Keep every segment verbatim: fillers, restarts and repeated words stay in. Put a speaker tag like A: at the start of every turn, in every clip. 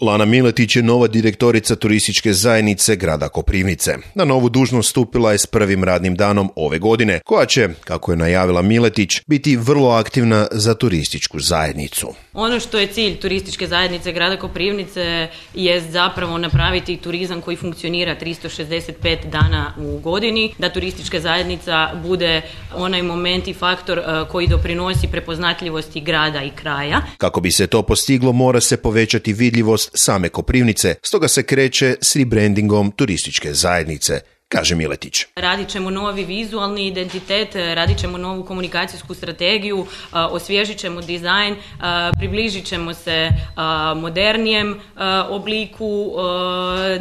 A: Lana Miletić je nova direktorica turističke zajednice grada Koprivnice. Na novu dužnost stupila je s prvim radnim danom ove godine, koja će, kako je najavila Miletić, biti vrlo aktivna za turističku zajednicu.
B: Ono što je cilj turističke zajednice grada Koprivnice je zapravo napraviti turizam koji funkcionira tristo šezdeset pet dana u godini, da turistička zajednica bude onaj moment i faktor koji doprinosi prepoznatljivosti grada i kraja.
A: Kako bi se to postiglo, mora se povećati vidljivost same Koprivnice, stoga se kreće s rebrandingom turističke zajednice, kaže Miletić.
B: Radit ćemo novi vizualni identitet, radit ćemo novu komunikacijsku strategiju, osvježit ćemo dizajn, približit ćemo se modernijem obliku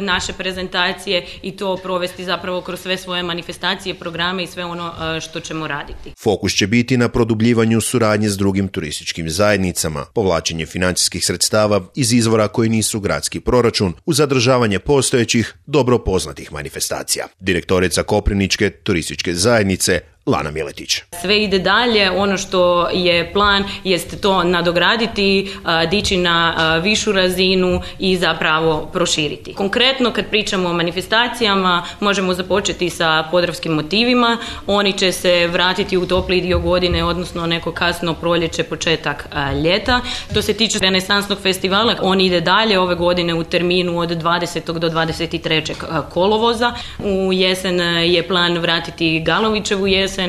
B: naše prezentacije i to provesti zapravo kroz sve svoje manifestacije, programe i sve ono što ćemo raditi.
A: Fokus će biti na produbljivanju suradnje s drugim turističkim zajednicama, povlačenje financijskih sredstava iz izvora koji nisu gradski proračun, uz zadržavanje postojećih, dobro poznatih manifestacija. Direktorica Koprivničke turističke zajednice Lana Miletić.
B: Sve ide dalje, ono što je plan jest to nadograditi, dići na višu razinu i zapravo proširiti. Konkretno kad pričamo o manifestacijama, možemo započeti sa podravskim motivima, oni će se vratiti u topli dio godine, odnosno neko kasno proljeće, početak ljeta. Što se tiče renesansnog festivala, on ide dalje ove godine u terminu od dvadesetog do dvadeset trećeg kolovoza. U jesen je plan vratiti Galovićevu jesen,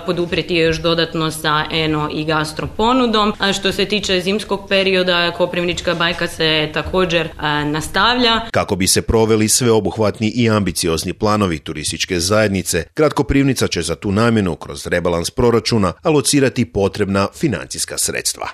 B: poduprijeti je još dodatno sa eno i gastro ponudom. A što se tiče zimskog perioda, Koprivnička bajka se također a, nastavlja.
A: Kako bi se proveli sveobuhvatni i ambiciozni planovi turističke zajednice, grad Koprivnica će za tu namjenu kroz rebalans proračuna alocirati potrebna financijska sredstva.